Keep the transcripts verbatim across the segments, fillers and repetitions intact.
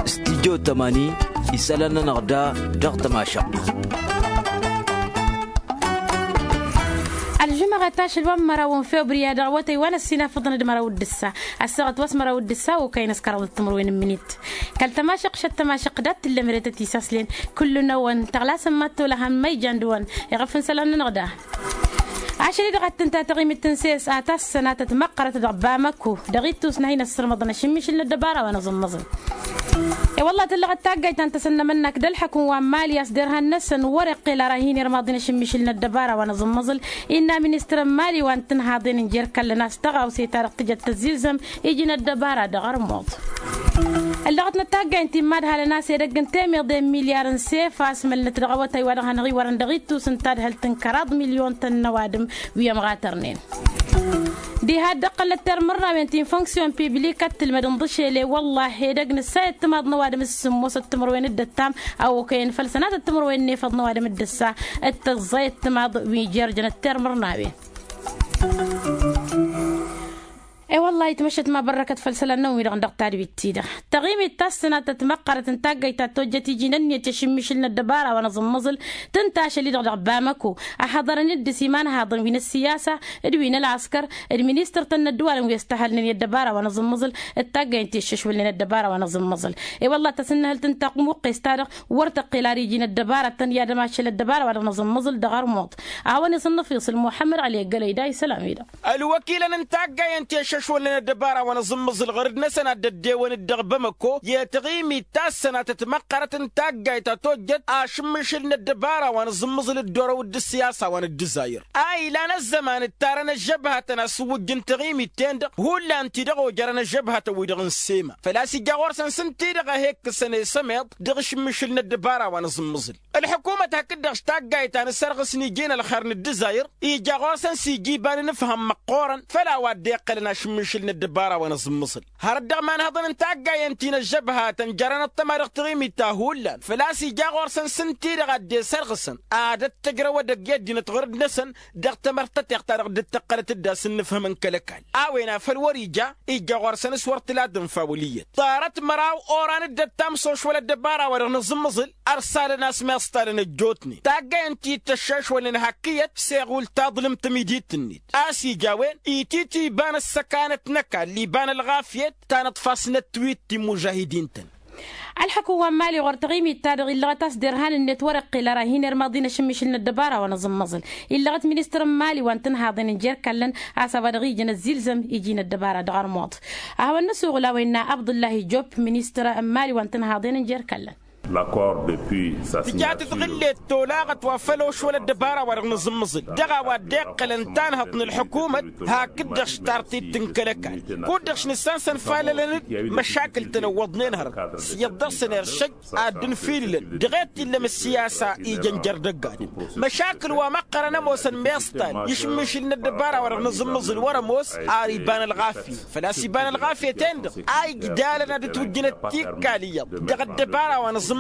Studyo tămani isălan-nănăɣ da dăɣ-tămašăɣt. Ălžumăɣăt ašăl wa n-măraw n-febriya dăɣ-awătăy wa n-ăssinafăḍăn d-măraw d-ǝssa ăssaɣăt wa s-măraw d-ǝssa okăyăn s-kăraḍăt timǝrwen n-imǝnit. Kăl-tămašăɣt šăt tămašăɣt dat tǝllăm ere tăt-isaslin. Kullu-năwăn tăɣlasăn mad-tolăhăm ma ijan d-wăn iɣăf n-isălan-nănăɣ da. Ašăl-i-dăɣ ad-tǝnta taɣimit n-ses a tassănatăt măqqărăt dăɣ-bamăko dăɣ-ittus n-ad-hin-ăssărmăḍăn ašǝmmišǝl n-ăddăbara wa n-aẓǝmmăẓǝl. I-wălla tǝllăɣăt taggayt ta n-tăsăn n-emănnak d-ălḥăkǝm wa n-mali a-s derhan-năsăn wăr-iqqel ara hin-irmaḍin ašǝmmišǝl n-ăddăbara wa n-aẓǝmmăẓǝl. Innă ministăr n-mali wa n-tǝnhaḍen n-jer-kallăn a-s tăɣawse-ta-dăɣ tǝjăt tăzzilzăm iji n-ăddăbara dăɣ-armuḍ. Ăllăɣătnăt taggaynt ti n-imadhalăn a-s edăgg n-temeḍe n-milyar n-sef a-s mălnăt dăɣ-awătay wa dăɣ-hanăɣ-iwărăn dăɣ-ittus n-tadhălt n-kăraḍ milyon-tăn n-ăwadǝm wi ămɣatărnen. Diha dd-ăqqălnăt termărnawen ti n-funksyon piblikăt tǝlmăd n-iḍǝšel i-wăllah edăgg nǝssa i-ăttămaḍ n-ăwadǝm s-sǝmmosăt timǝrwen d-ăttam a okăyăn făll-sănatăt timǝrwen n-efăḍ n-ăwadǝm d-ǝssa. D-tăẓẓay ăttămaḍ wi n-jer-jăn ăttermărnawen. I-wăllah itmăššăt ma bărrăkăt făll-isălan-năwăn-wi-dăɣ dăɣ-tadwit-ti-dăɣ. Taɣimit ta s-sănatăt măqqărăt n-taggayt ta tojjăt iji n-ǝnniyăt i-ašǝmmišǝl n-ăddăbara wa n-aẓǝmmăẓǝl tǝnta ašăl-i-dăɣ dăɣ-bamăko. Ăhhăḍărăn-dd s-imanhaḍăn wi n-ăssiyasa d-wi n-ălɣăskăr d-ministăr-tăn n-ăddǝwalăn wi ăstăhălnen i-ăddăbara wa n-aẓǝmmăẓǝl d-taggayt i-aššăšwălnen ăddăbara wa n-aẓǝmmăẓǝl. I-wăllah tăsǝnnăhălt n-taqmuqqes-ta-dăɣ wăr tăqqel ar iji n-ăddăbaratăn i-ad-ămašăl ăddăbara wa dăɣ-nǝẓǝmmăẓǝl dăɣ-armuḍ. A-wa n-isǝnnăfiṣǝl muḥămmăd ăli ăggălăy da isălan-wi-dăɣ. Ălwăkilăn n-taggayăn ti ăššăšwălnen ăddăbara wa n-aẓǝmmăẓǝl ɣur-dd-năsăn ad-dd-ăddewăn-dd dăɣ-bamăko i-taɣimit ta s-sănatăt măqqărăt n-taggayt ta tojjăt ašǝmmišǝl n-ăddăbara wa n-aẓǝmmăẓǝl dd-orăw d-ǝssiyasa wa n-ăddǝzayăr. A ilan ăzzăman ǝttarăn ăžžăbhatăn a-s ǝwwǝjj n-taɣimit-ten-dăɣ hullan-t-i-dăɣ ojărăn ăžžăbhatăn-wi-dăɣ n-sema făl-a-s ija ɣur-săn s-ǝnta-i-dăɣ a he-ǝkkǝsăn i-sămeḍ dăɣ-ašǝmmišǝl n-ăddăbara wa n-aẓǝmmăẓǝl. Ălḥukumăt hakd-dăɣ s-taggayt ta n-asărɣǝs n-iji n-ălxer n-ǝddǝzayăr ija ɣur-săn s-ija iba n-inǝfham măqqoorăn făll-a-wa dd-iqqălăn ašǝmmišǝl n-ăddăbara wa n-aẓǝmmăẓǝl. Hărăt dăɣ-imanhăḍăn n-taggayen ti n-ăžžăbhatăn jărăn ăṭṭăma dăɣ-taɣimit ta hullan făl-a-s ija ɣur-săn s-ǝnta-i-dăɣ a dd-esărɣǝsăn ad-ăttăjrăw edăgg i-ăddinăt ɣur-dd-năsăn dăɣ-tamărt tăteɣt-ta-dăɣ dd-tăqqălăt-dd a-s ǝnnǝfhǝm n-kăl-ăkall. A-wen a făl wăr-ija ijja ɣur-săn s-wăr t-ila ad-ǝnfa wăl' iyyăt ḍarăt măraw oran dd-ăttam s-ošwăl ăddăbara-wa-dăɣ n-aẓǝmmăẓǝl. Ărsalăn a-s miẓtalăn ăjjootnen taggayăn ti t-ăššăšwălnen hakk iyyăt seɣul taḍlǝmt tamidit-net a-s ija a-wen ititǝy iba n-ăssăkanăt n-ăkall iba n-ălɣafyăt ta n-ǝḍfasnăt twitt timmužahidin-tăn. Ălḥăkǝm wa n-mali ɣur-taɣimit-ta-dăɣ illăɣăt a-s derhan-net wăr-iqqel ara hin-irmaḍ-in ašǝmmišǝl n-ăddăbara wa n-aẓǝmmăẓǝl. Illăɣăt ministăr n-mali wa n-tǝnhaḍen n-jer-ikallăn a-s a-wa dăɣ-ijăn ăzzilzăm iji n-ăddăbara dăɣ-armuḍ. A hawăn-năsuɣǝl a-wa innă abdullahi job ministăr n-mali wa n-tǝnhaḍen n-jer-ikallăn. Tǝja tǝtɣǝllet tolaɣăt wa făll-ošwăl ăddăbara wa dăɣ-nǝẓǝmmǝẓǝl dăɣ-a-wa dd-iqqălăn tanhăḍt n-ălḥukumăt. Hakd-dăɣ s-tartit n-kăl-ăkall kud-dăɣ s-nǝssan-săn falălăn-dd măšakǝl-tăn ǝwwăḍnen hărăt s-iyyăḍ dăr-săn eršăj ad-dd-ǝnfilǝlăn dăɣ-e t-illăm ǝssiyasa ijăn jer-dăgg-adǝm. Măšakǝl wa măqqărăn ămoosăn miẓtal i-ašǝmmišǝl n-ăddăbara wa dăɣ-nǝẓǝmmǝẓǝl wăr-ămoos ar iba n-ălɣafyăt făl-a-s iba n-ălɣafyăt-en-dăɣ a igdalăn ad-ǝtwǝjjǝnăt tikkal iyyăḍ dăɣ-ăddăbara wa n-aẓǝmmǝẓǝl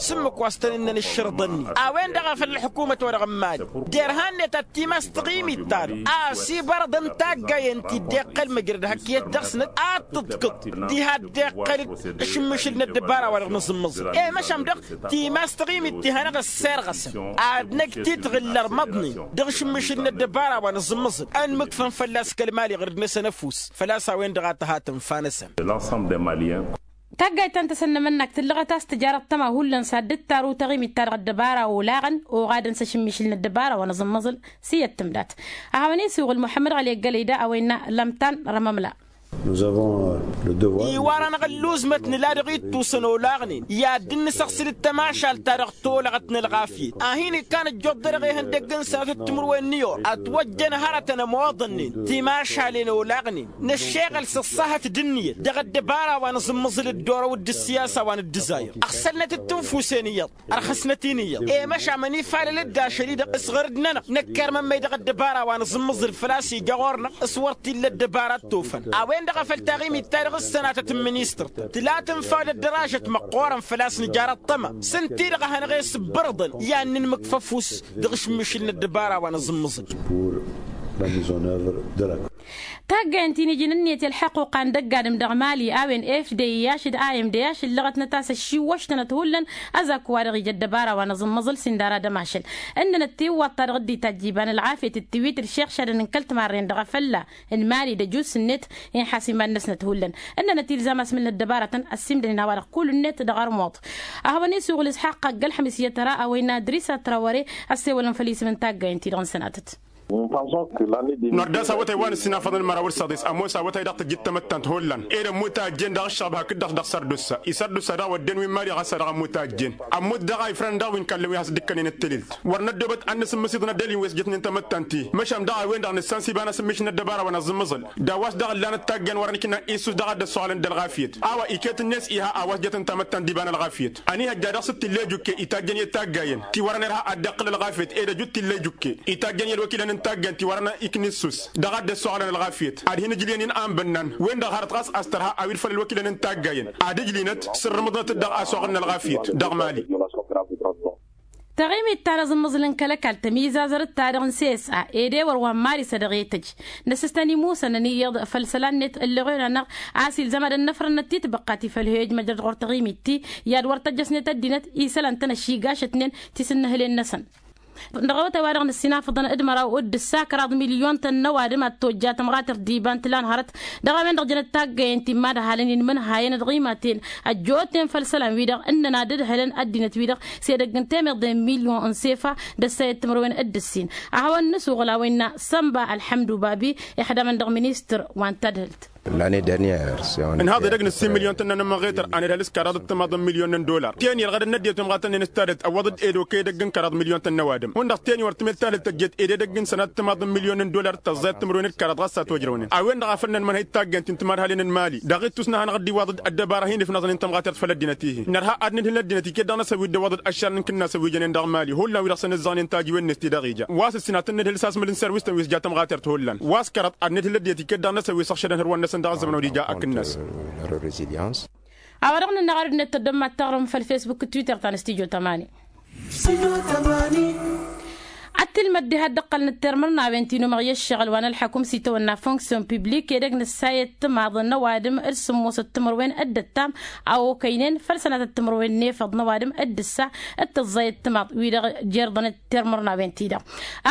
s-ǝmmǝk wa s-tăn-ǝnnăn ǝššărǝḍăn-in. A-wen-dăɣ a făl ălḥukumăt wa dăɣ-n mali derhan-net ad-timas taɣimit-ta-dăɣ a-s ibărăḍăn taggayen ti dd-iqqăl măjrăd hak iyyăt dăɣ-snăt ad-tǝḍkǝḍ diha dd-iqqăl-dd ašǝmmišǝl n-ăddăbara wa dăɣ-nǝẓǝmmǝẓǝl i-măšan dăɣ-timas taɣimit ti hanăɣ-ăssirɣăsăn ad-năj titɣǝl ărmăḍnen dăɣ-ašǝmmišǝl n-ăddăbara wa nǝẓǝmmǝẓǝl ănmǝkfăn fălla-s kăl-mali ɣur-dd-năsăn ăfuss făl-a-s a-wen-dăɣ a tăha tǝnfa-năsăn. Taggayt ta n-tasăn n-emănnak tǝllăɣăt a-s tǝjarăt tăma hullan s-ad-dd-taru taɣimit-ta-dăɣ ăddăbara olaɣăn oɣadăn s-ašǝmmišǝl n-ăddăbara wa nǝẓǝmmǝẓǝl. S-iyyăt tǝmdat a hawăn-isuɣǝl muḥămmăd ɣăli ăggălăy da a-wa innă lămtan rămămla. Iwar-anăɣ ălluuzmăt nǝla dăɣ-ittusăn olaɣnen i-ad-dd-nǝsăɣsǝl d-tamašalt-ta-dăɣ tolăɣăt n-ălɣafyăt a hin-ikkan ăjjoḍ dăr-eɣe ihăndăgg n-sănatăt timǝrwen n-iyor ătwăjjăn hărătăn ămoḍănnen timašalen olaɣnen năššeɣăl s-ăṣṣahăt d-ǝnniyăt dăɣ-ăddăbara wa n-aẓǝmmǝẓǝl dd-orăw d-ǝssiyasa wa n-dd-ǝzzayăr ăɣsălnăt d-tinfusen iyyăḍ. Ărxăsnăt-in iyyăḍ i-măšan mănifalăl-dd ašăl-i-dăɣ s-ɣur-dd-nănăɣ năkk irmămmăy dăɣ-ăddăbara wa n-aẓǝmmǝẓǝl făl-a-s ija ɣur-năɣ s-wăr t-illa ăddăbara ăttofăn. A-wen-dăɣ a făl taɣimit-ta-dăɣ s-sănatăt n-ministăr tǝla tǝnfa-wăd ăddăražăt măqqoorăn făl-a-s nǝjar ăṭṭăma s-ǝnta-i-dăɣ a hanăɣ-e-s ǝbbărăḍăn i-ad-nǝnmǝkf ăfuss dăɣ-ašǝmmišǝl n-ăddăbara wa n-aẓǝmmǝẓǝl. Tăggayăn ti n-iji n-ǝnniyăt i-ălḥăqquqa n-dăgg-adǝm dăɣ-mali a-wen f d-i ašăl d-a m d i ašăl lăɣăt n-ătasăššiwwăš-tănăt hullan. Ăzak wa-dăɣ ija ăddăbara wa n-aẓǝmmăẓǝl s-indara d-ămašăl ǝnnănăt tiwwaḍt-ta-dăɣ dd-itajj iba n-ălɣafyăt d-tiwit d-išeɣšadăn n-kăl-timarren dăɣ-afălla n-mali d-ăjus-net. Inxas iman-năsnăt hullan ǝnnănăt ilzam a-s mǝlnăt ăddăbarătăn ăssiimdănen a-wa-dăɣ kull-net dăɣ-armuḍ. A hawăn-isuɣǝl isxaqq ăgg-ălxămis i-tăra a-wa innă adrisa trawăre ăssewălăn făll-isǝm n-taggayen-ti-dăɣ n-sănatăt. Nor d-a-s awătay wa n-ăssinafăḍăn măraw d-săḍis ămoos awătay dăɣ-tăjjit tamăttant hullan ed ămmut a ăjjeen dăɣ-ăššăɣb hakd-dăɣ dăɣ-sărdussa isărdussa dăɣ-a wădden wi n-mali ɣas a dăɣ-ămmut a ăjjeen. Ămmut daɣ a ifrăn daɣ wi n-kallăn wi has-dd-ǝkkănen d-tililt wăr năddoobăt ad-nǝsǝmmǝs iḍnăd elin wi s-jătnen tamăttant-i măšan daɣ a-wen-dăɣ nǝssan s-iba n-asǝmmǝš n-ăddăbara wa n-aẓǝmmăẓăl d-a-wa s-dăɣ-ǝllanăt taggan wăren ikna issus dăɣ-ad-dd-ăssoɣlăn d-ălɣafyăt. A-wa iket-net iha a-wa s-jătăn tamăttant d-iba n-ălɣafyăt ănihăjja dăɣ-s t-tilla ijukke itajjăn i-taggayen ti wărăn irha ad-dd-iqqǝl ălɣafyăt ed ăjut t-illa ijukke itajjăn i-ălwăkilăn n-taggan ti wărăn ikna issus dăɣ-ad-dd-ăssoɣlăn ălɣafyăt ad-hin-ǝjliyăn-in anbănnan-wen-dăɣ hărăt ɣas a-s tărha a-wa irfăl ălwăkilăn n-taggayen ad-ǝjlinăt sǝrrǝmǝḍnăt-dd dăɣ-asuɣǝl n-ălɣafyăt dăɣ-mali. Taɣimit ta n-aẓǝmmăẓǝl n-kăl-ăkall tămizazărăt-ta-dăɣ n-sesa ed ewăr wa n-mari s-ad-dăɣ-e-tăj năsǝstăn imusăn ăniyyăḍ făll-isălan-net ǝlleɣ-en-anăɣ a-s ilzăm ad-ănnăfrănnăt titbăqqa ti făll-hejmăjrăd ɣur-taɣimit-ti i-ad-wăr tăjjăsnet ăddinăt isălan-tăn ăššigašătnen ti s-ǝnnǝhǝlen-năsăn. Dăɣ-awătay-wa-dăɣ năssinafăḍăn d-măraw d-ǝssa kăraḍ milyon-tăn n-ăwadǝm ad-tojja tămɣatert d-iba n-tǝla n-hărăt dăɣ-a-wen-dăɣ jănăt taggayen ti n-imadhalăn-in imǝnhayăn d-ɣimaten ăjjootnen făll-isălan-wi-dăɣ ǝnnăn ad-ǝdhǝlăn ăddinăt-wi-dăɣ s-edăgg n-temeḍe n-milyon n-sefa d-ăssayăt timǝrwen d-ǝssin. A hawăn-nǝsuɣǝl a-wa innă sănba ălḥămdu babi ixdamăn dăɣ-ministăr wa n-tadhǝlt. Ǝnhaḍ edăgg n-ǝssin milyon-tăn n-anămăɣetăr a nǝdhăl s-kăraḍ d-timaḍ n-milyon n-dollar teni ărɣădăn n-ăddinăt imɣatăn-in s-tadhǝlt ăwwăḍ-dd ed okăy edăgg n-kăraḍ milyon-tăn n-ăwadǝm hundăɣ teni wăr tǝmed tadhǝlt tăjjet ed edăgg n-sănat timaḍ n-milyon n-dollar d-tăẓẓayăt timǝrwen d-kăraḍ ɣas a-t-ojrăwnen a-wen-dăɣ a făl nănmănhăy d-taggayen ti n-timadhalen n-imali dăɣ-ittus n-ehănăɣ dd-iwaḍ-dd ăddăbara hin-ifnăẓnen tamɣatert făll-ăddinăt-ihi nărha ad-nǝdhǝl n-ăddinăt iket dăɣ-năsăn wi dd-ăwwăḍ-dd ăššarăn n-kǝnnasăn wi jănen dăɣ-mali hullan wi-dăɣ săn-ǝzzaɣnen tajǝwen-net ti dăɣ-ija wa s-ǝssin ad-tăn-nǝdhǝl s-asmǝl n-serwis-tăn wi s-ja tamɣatert hullan wa s-kăraḍ ad-nǝdhǝl ăddinăt iket dăɣ-năsăn wi s-ăɣšădăn hărwan-năsăn dăɣ-ăzzăman wa d-ija akǝnnas. A-wa dăɣ-nǝnna ɣarăd-net tăddămmat taɣrǝm făll-fesbuk d-twitter ta n-stujo tămani. Ad-tǝlmăd diha dd-ǝqqălnăt termărnawen ti n-umăɣ i-ăššăɣǝl wa n-ălḥăkum s-itawănna fonksyon piblik edăgg n-ǝssayăt timaḍ n-ăwadǝm d-sǝmmosăt timǝrwen d-ǝttam a okăynen făll-sănatăt timǝrwen n-efăḍ n-ăwadǝm d-ǝssa d-tǝẓẓayăt timaḍ wi-dăɣ jer-ḍănăt termărnawen-ti-dăɣ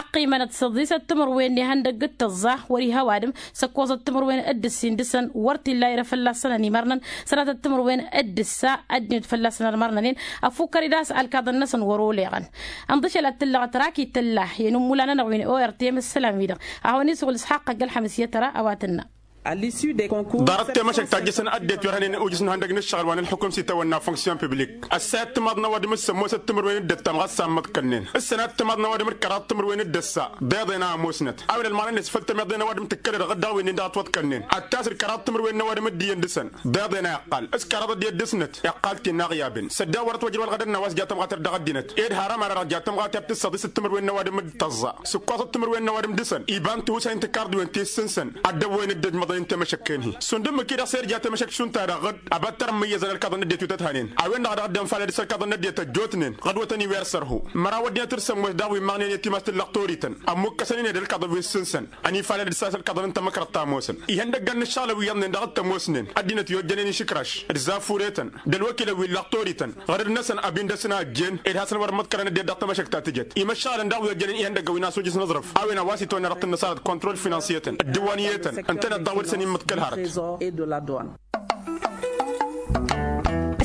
ăqqimănăt săḍisăt timǝrwen n-ihăndăgg d-tǝẓẓa wăr-iha ăwadǝm săkkoẓăt timǝrwen d-ǝssin dăɣ-săn wăr t-illa irăf fălla-săn ănimărnăn sănatăt timǝrwen d-ǝssa ăddinăt fălla-săn ărmărnănen. Ăfukkăr-dd a-s ălkaḍăn-năsăn wăr-oleɣăn ǝnḍǝšăl ad-t-tǝllăɣăt rakyit tǝlla i-inǝmmula-nănăɣ wi n-ortm s-isălan-wi-dăɣ a hawăn-isuɣǝl s-haqqăgg ălxămǝs i-ad-tăra a-wa tǝnna. Ḍarăt temăšăk ta jăsăn ăddinăt wi ărhănen ujǝs n-ihăndăg n-ǝššăɣǝl wa n-ălxukum s-itawănna fonksyon piblik ăssayăt timaḍ n-ăwadǝm s-sămmosăt timǝrwen d-ǝttam ɣas sammăḍkălnen s-sănat timaḍ n-ăwadǝm d-kăraḍ timǝrwen d-ǝssa. Ḍeḍen a ămoosnăt a-wen ălmaɣnen s-făll-tămeḍe n-ăwadǝm tǝkkălăd ɣǝd dăɣ-wen-in dăɣ-ătwăḍkălnen ăttas d-kăraḍ timǝrwen n-ăwadǝm d-iyyăn dăɣ-săn. Ḍeḍen a iqqal s-kăraḍ ăddinăt dăɣ-snăt iqqal-t-in n-aɣyaben sădda wăr-ătwăjrăw ălɣădăn n-a-wa s-ja tămɣatert dăɣ-ăddinăt ed har ămăra-dăɣ ja tămɣatert d-săḍisăt timǝrwen n-ăwadǝm d-tăẓẓa sǝkkoẓăt timǝrwen n-ăwadǝm dăɣ-săn iba n-tihusay n-tikarḍiwen ti s-sǝnsăn. Ăddăwwen dd-ǝjmăḍăn-in temăšăkken-hi šund ǝmmǝk-i-dăɣ s-irja temăšăk šund-ta-dăɣ ɣǝd. Ăba t-ărmǝyyăzăn ălkaḍăn n-ăddinăt wi tăt-hanen a-wen-dăɣ a dăɣ-dd-ănfalăd s-ălkaḍăn n-ăddinăt ăjjootnen ɣǝd-wătăn iwer sărhu. Măraw ăddinăt d-sămmos daɣ wi ǝmmăɣnen i-timas tǝllăɣ torităn ămmukkăsăn-in ed ălkaḍăn wi s-sǝnsăn. Ănifalăd d-sas ălkaḍăn n-tămăkrăḍt ta ămoosăn ihăndăggan n-ǝššăɣǝlăn wi iyyăḍnen dăɣ-t ămoosnen ăddinăt i-ojjănen išǝkraš d-zafuretăn d-ălwăkilăn wi n-lăɣtorităn ɣărăd-năsăn ăbindăsăn a ăjjeen ed hasăn-wăr-ămmăḍkărăn ăddinăt dăɣ-tamăšăkt ta tǝjăt. Imăššăɣǝlăn daɣ wi ăjjănen ihăndăggăn wi n-asujǝs n-aẓrǝf a-wen a-wa s-itwănna dăɣ-tǝnnăsarăt kontrol finansyetăn d-dǝwwaniyetăn ǝntăneḍ daɣ wa dăɣ-săn immǝḍkăl hărăt.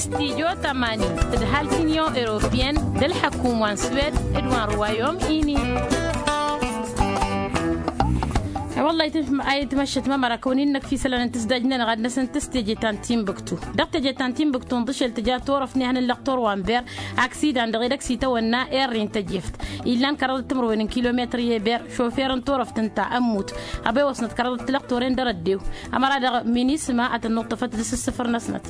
Stijo tămani d-halt unyon europeyăn d-ălḥăkum wa n-swed d-wa n-ruwayom ini. Wălla a itmăššăt mămăra kăwăn-in-năkf isălan n-tǝsdajnen ɣad-năsăn tǝs teje ta n-timbuktu. Dăɣ-teje ta n-timbuktu ǝnḍǝšel tǝja turăft n-ehăn n-lăqtor wa n-ber aksidan dăɣ-edăgg s-itawănna erri n-tăjeft. Illan kăraḍăt timǝrwen n-kilometăr i-eber šofer n-turăft ǝnta ămmut. Ăbewăsnăt kăraḍăt tilăqtoren dăr-ăddew. Ămăra-dăɣ minisma ad-tăn-nuṭṭăfăt dăɣ-s ǝssǝfăr-năsnăt.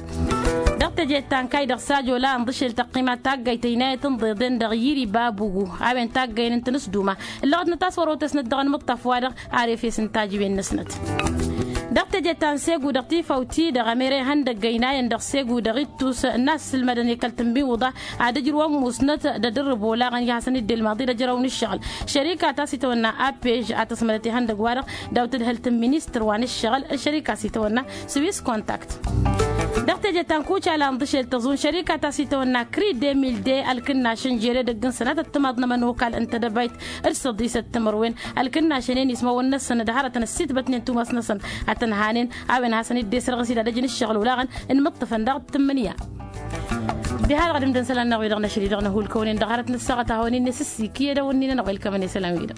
Dăɣ-teje ta n-kayy dăɣ-sajola ǝnḍǝšel tăqqima taggayt ăynayăt n-iḍeḍen dăɣ-yiri babugu a-wen taggayăn n-tinǝsduma. Ǝllăɣătnăt a-s wăr-otăsnăt dăɣ-anmǝṭṭaf-wa-dăɣ ar efes n-tajǝwen-năsnăt. Dăɣ-teje ta n-segu dăɣ-tifawt-i-dăɣ ămere ihăndăg ăynayăn dăɣ-segu dăɣ-ittus n-assǝlmădăn i-kăl-tǝnbi uḍa ad-ǝjrǝwăn musnăt d-ad-ǝrrǝb olaɣăn i-hasăn-dd-ilmaḍ-i d-ăjrăw n-ǝššăɣǝl. Šărika ta s-itawănna apej a tăsmădăt ihăndăg-wa-dăɣ daw-tǝdhǝlt n-ministăr wa n-ǝššăɣǝl šărika s-itawănna swis contact. Dăɣ-teje ta n-kucala n-ḍǝšel tăẓun šărika ta s-itawănna kri de mil de ălkǝnnašăn žere dăgg-n sănatăt timaḍ n-ămănokal n-tedăbayt d-săḍisăt timărwen ălkǝnnašăn-en ismăwăn-năsăn d-hărătăn ăssitbătnen tumas-năsăn ad-tăn-hanen a-wen hasăn-dd-esrăɣ s-idadăj n-ǝššăɣǝl olaɣăn n-imǝṭṭǝfăn daɣ d-tǝmmǝnǝya. Diha-dăɣ ad-ǝmdăn isălan-năɣ wi-dăɣ n-ašăl-i-dăɣ năhulkăwăn-in dăɣ-hărăt n-ăssaɣăt a hawăn-in-nesǝssi kiyădăwăn-in-anăɣ wa ilkămăn isălan-wi-dăɣ.